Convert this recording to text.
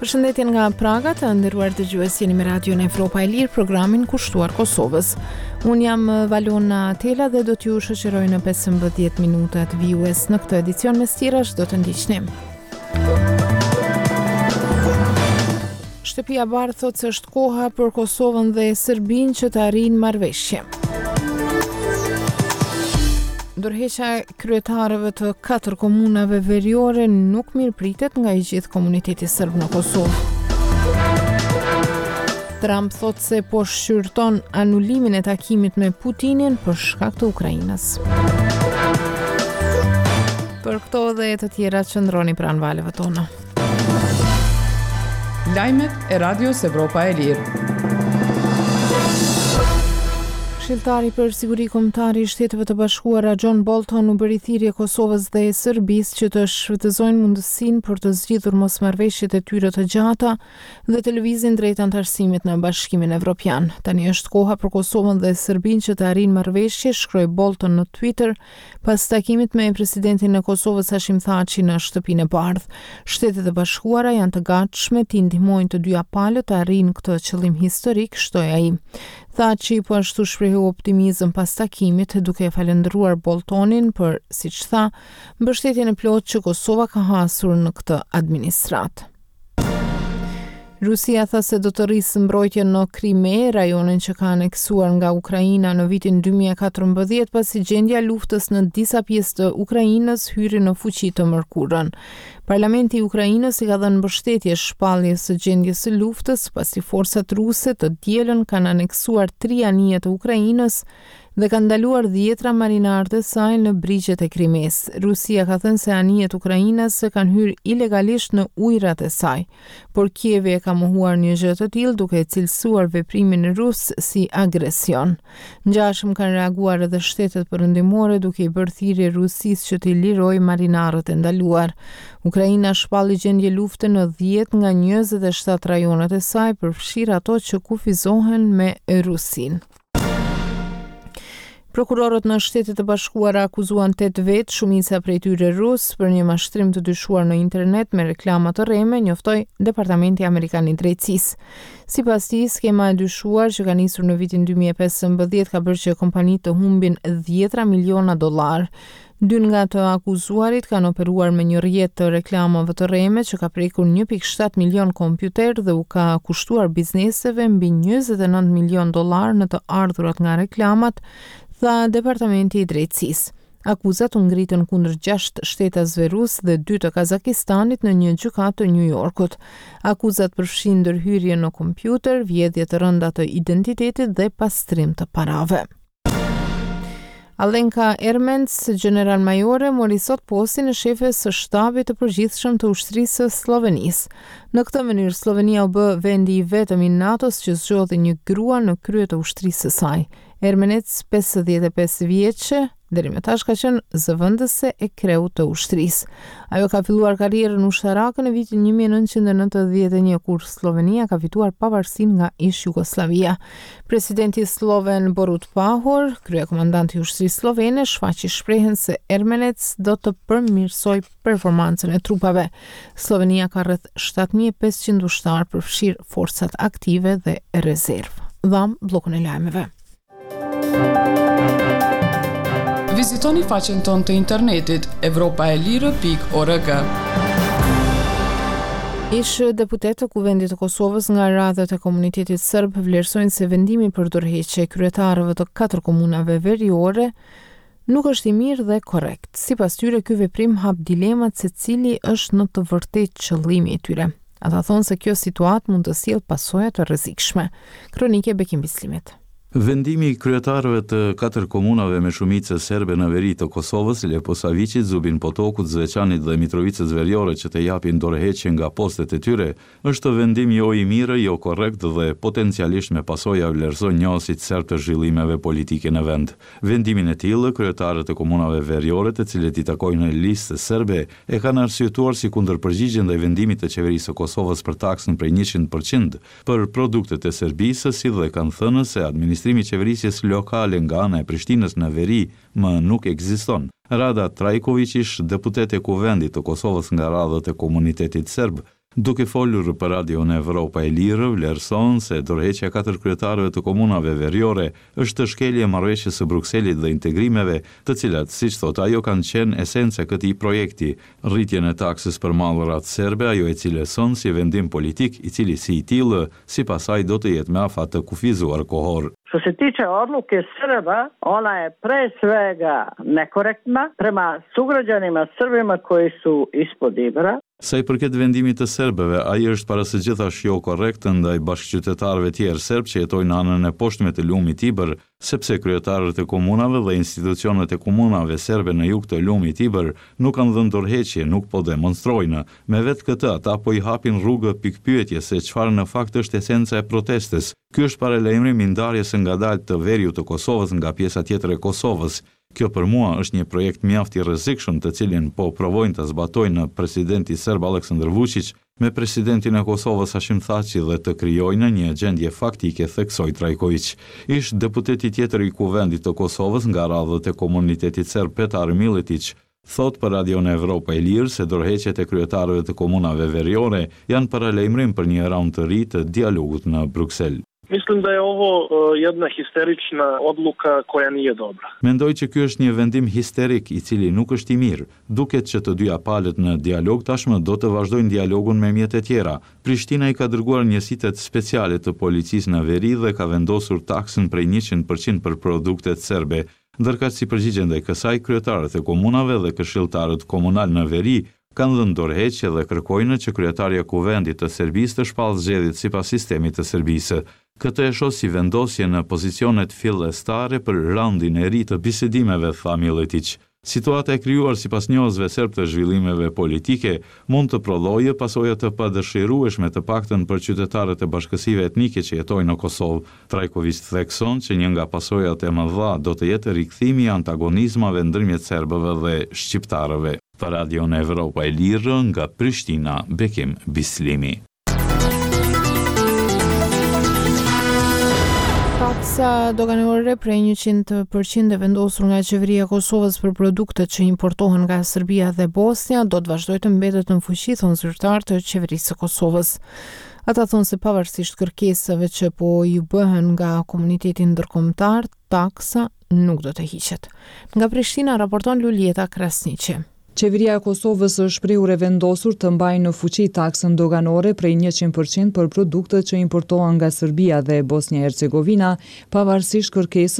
Përshëndetje nga Praga, të nderuar dëgjues jeni me Radion Evropa e Lirë, programin kushtuar Kosovës. Unë jam Valona Tela dhe do t'ju shoqëroj në 15 minutat vijues. Në këtë edicion mes tjerash do të ndiqni. Shtëpia e Bardhë thotë se është koha për Kosovën dhe Serbinë që të arrijnë marrëveshje. Dorëheqja e kryetarëve të katër komunave veriore nuk mirëpritet nga i gjithë komuniteti serb në Kosovë. Trump thotë se po shqyrton anulimin e takimit me Putinin për shkak të Ukrainës. Për këto dhe të tjera qëndroni pranë valëve tona. Lajmet e Radios Evropa e Lirë. Këshilltari për Siguri Kombëtare i Shteteve të Bashkuara John Bolton u bëri thirrje Kosovës dhe Serbisë që të shfrytëzojnë mundësinë për të zgjidhur mosmarrëveshjet e tyre të gjata dhe të lëvizin drejt anëtarësimit në Bashkimin Evropian. Tani është koha për Kosovën dhe Serbinë që të arrijnë marrëveshje, shkroi Bolton në Twitter Pas takimit me presidentin e Kosovës Hashim Thaçi në Shtëpinë e Bardhë, Shtetet e Bashkuara janë të gatshme t'i ndihmojnë të dyja palët të arrijnë këtë qëllim historik, shtoi ai. Thaçi po ashtu shprehu optimizëm pas takimit, duke e falënderuar Boltonin për, siç tha, mbështetjen e plotë që Kosova ka hasur në këtë administratë. Rusia tha se do të rrisë mbrojtjen në Krime, rajonin që ka aneksuar nga Ukraina në vitin 2014, pasi gjendja e luftës në disa pjesë të Ukrainës hyri në fuqi të mërkurën. Parlamenti i Ukrainës i ka dhënë mbështetje shpalljes së gjendjes së luftës, pasi forcat ruse të dielën kanë aneksuar tri anije të Ukrainës dhe kanë ndaluar dhjetra marinarë të saj në brigjet e Krimesë. Rusia ka thënë se anijet ukrainase kanë hyrë ilegalisht në ujërat e saj, por Kievi e ka mohuar një gjë të tillë duke e cilësuar veprimin rus si agresion. Ngjashëm kanë reaguar edhe shtetet perëndimore duke i bërë thirrje Rusisë që t'i lirojë marinarët e ndaluar. Ukraina shpalli gjendje lufte në 10 nga 27 rajonet e saj, përfshirë ato që kufizohen me Rusinë. Prokurorët në Shtetet e Bashkuara akuzuan 8 vetë, shumica prej tyre rusë, për një mashtrim të dyshuar në internet me reklama të rreme, njoftoi Departamenti Amerikan i Drejtësisë. Sipas tij, skema e dyshuar që ka nisur në vitin 2015 ka bërë që kompanitë të humbin dhjetra miliona dollarë. Dy nga të akuzuarit kanë operuar me një rrjet të reklamave të rreme që ka prekur 1.7 milion kompjuterë dhe u ka kushtuar bizneseve mbi 29 milion dollarë në të ardhurat nga reklamat, tha Departamenti i Drejtësisë. Akuzat u ngritën kundër 6 shtetasve rusë dhe dy të Kazakistanit në një gjykatë të Nju Jorkut. Akuzat përfshijnë ndërhyrje në kompjuter, vjedhje të rënda të identitetit dhe pastrim të parave. Alenka Ermenc, gjeneralmajore, mori sot postin e shefes së Shtabit të Përgjithshëm të Ushtrisë së Sllovenisë. Në këtë mënyrë, Sllovenia u bë vendi i vetëm i NATO-s që zgjodhi një grua në krye të ushtrisë së saj. Ermenec, 55 vjeçe, deri më tash ka qenë zëvendëse e kreut të ushtrisë. Ajo ka filluar karrierën ushtarake në vitin 1991 kur Sllovenia ka fituar pavarësinë nga ish-Jugosllavia. Presidenti slloven Borut Pahor, kryekomandant i ushtrisë sllovene, shfaqi shpresën se Ermenec do të përmirësojë performancën e trupave. Sllovenia ka rreth 7500 ushtarë përfshirë forcat aktive dhe rezervë. Dhamë bllokun e lajmeve. Vizitoni faqen tonë të internetit evropaelire.org. Ish deputetë të Kuvendit të Kosovës nga radhët e komunitetit serb vlerësojnë se vendimi për dorëheqje e kryetarëve të katër komunave veriore nuk është i mirë dhe korrekt. Sipas tyre, ky veprim hap dilemat se cili është në të vërtetë qëllimi i tyre. Ata thonë se kjo situatë mund të sjellë pasoja të rrezikshme. Kronikë e Bekim Bislimit. Vendimi i kryetarëve të katër komunave me shumicë serbe në veri të Kosovës, Leposaviqit, Zubin Potokut, Zveçanit dhe Mitrovicës Veriore që të japin dorëheqje nga postet e tyre, është vendim jo i mirë, jo korrekt dhe potencialisht me pasoja vlerësojnë njohësit serbë të zhvillimeve politike në vend. Vendimin e tillë, kryetarët e komunave veriore të cilët i takojnë Listës Serbe, e kanë arsyetuar si kundërpërgjigje ndaj vendimit të Qeverisë së Kosovës për taksën prej 100% për produktet e Serbisë, si dhe kanë thënë se administrimi i qeverisjes lokale nga ana e Prishtinës në veri më nuk ekziston. Rada Trajkoviq, ish deputete e Kuvendit të Kosovës nga radhët e komunitetit serb. Duke folur për Radion Evropa e Lirë, vlerëson se dorëheqja e katër kryetarëve të komunave veriore është shkelje e Marrëveshjes së Brukselit dhe integrimeve, të cilat, siç thotë ajo, kanë qenë esenca e këtij projekti. Rritjen e taksës për mallrat serbe ajo e cilëson si vendim politik, i cili si i tillë, sipas saj do të jetë me afat të kufizuar kohor. Što se tiče odluke Srba, ona je pre svega nekorektna prema sugrađanima Srbima koji su ispod Ibra. Sa i përket vendimit të serbëve, ai është para së gjithash jo korrekt ndaj bashkëqytetarëve tjerë serbë që jetojnë në anën e poshtme të lumit Ibër, sepse kryetarët e komunave dhe institucionet e komunave serbe në jug të lumit Ibër nuk kanë dhënë dorëheqje, nuk po demonstrojnë. Me vetë këtë, ata po i hapin rrugë pikëpyetjes se çfarë në fakt është esenca e protestës. Ky është paralajmërim i ndarjes së ngadaltë të veriut të Kosovës nga pjesa tjetër e Kosovës. Kjo për mua është një projekt mjaft i rrezikshëm të cilin po provojnë ta zbatojnë presidenti serb Aleksandër Vuçiq me presidentin e Kosovës Hashim Thaçi dhe të krijojnë një gjendje faktike, theksoi Trajkoviq. Ish deputeti tjetër i Kuvendit të Kosovës nga radhët e komunitetit serb Petar Milletiq, thotë për Radion Evropa e Lirë se dorëheqjet e kryetarëve të komunave veriore janë paralajmërim për një raund të ri të dialogut në Bruksel. Mislim da je ovo jedna histerična odluka koja nije dobra. Mendoj që ky është një vendim histerik, i cili nuk është i mirë. Duket që të dyja palët në dialog tashmë do të vazhdojnë dialogun me mjete tjera. Prishtina i ka dërguar njësitet speciale të policisë në veri dhe ka vendosur taksën prej 100% për produktet serbe. Ndërkaq si përgjigje ndaj kësaj, kryetarët e komunave dhe këshilltarët komunalë në veri kanë dhënë dorëheqje dhe kërkojnë që kryetarja e Kuvendit të Serbisë të shpallë zgjedhjet sipas sistemit të Serbisë. Këtë e shoh si vendosje në pozicionet fillestare për raundin e ri të bisedimeve, tha Milletiq. Situata e krijuar sipas njohësve serbë të zhvillimeve politike mund të prodhojë pasoja të padëshirueshme të paktën për qytetarët e bashkësive etnike që jetojnë në Kosovë. Trajkoviq thekson që një nga pasojat e mëdha do të jetë rikthimi i antagonizmave ndërmjet serbëve dhe shqiptarëve. Për Radion Evropa e Lirë, nga Prishtina, Bekim Bislimi. Taksa doganore prej 100% e vendosur nga qeveria e Kosovës për produktet që importohen nga Serbia dhe Bosnja do të vazhdojë të mbetet në fuqi, thonë zyrtarë të qeverisë së Kosovës. Ata thonë se pavarësisht kërkesave që po ju bëhen nga komuniteti ndërkombëtar, taksa nuk do të hiqet. Nga Prishtina raporton Luljeta Krasniqi. Qeveria e Kosovës është shprehur e vendosur të mbajë në fuqi taksën doganore prej 100% për produktet që importohen nga Serbia dhe Bosnja e Hercegovina, pavarësisht kërkesës.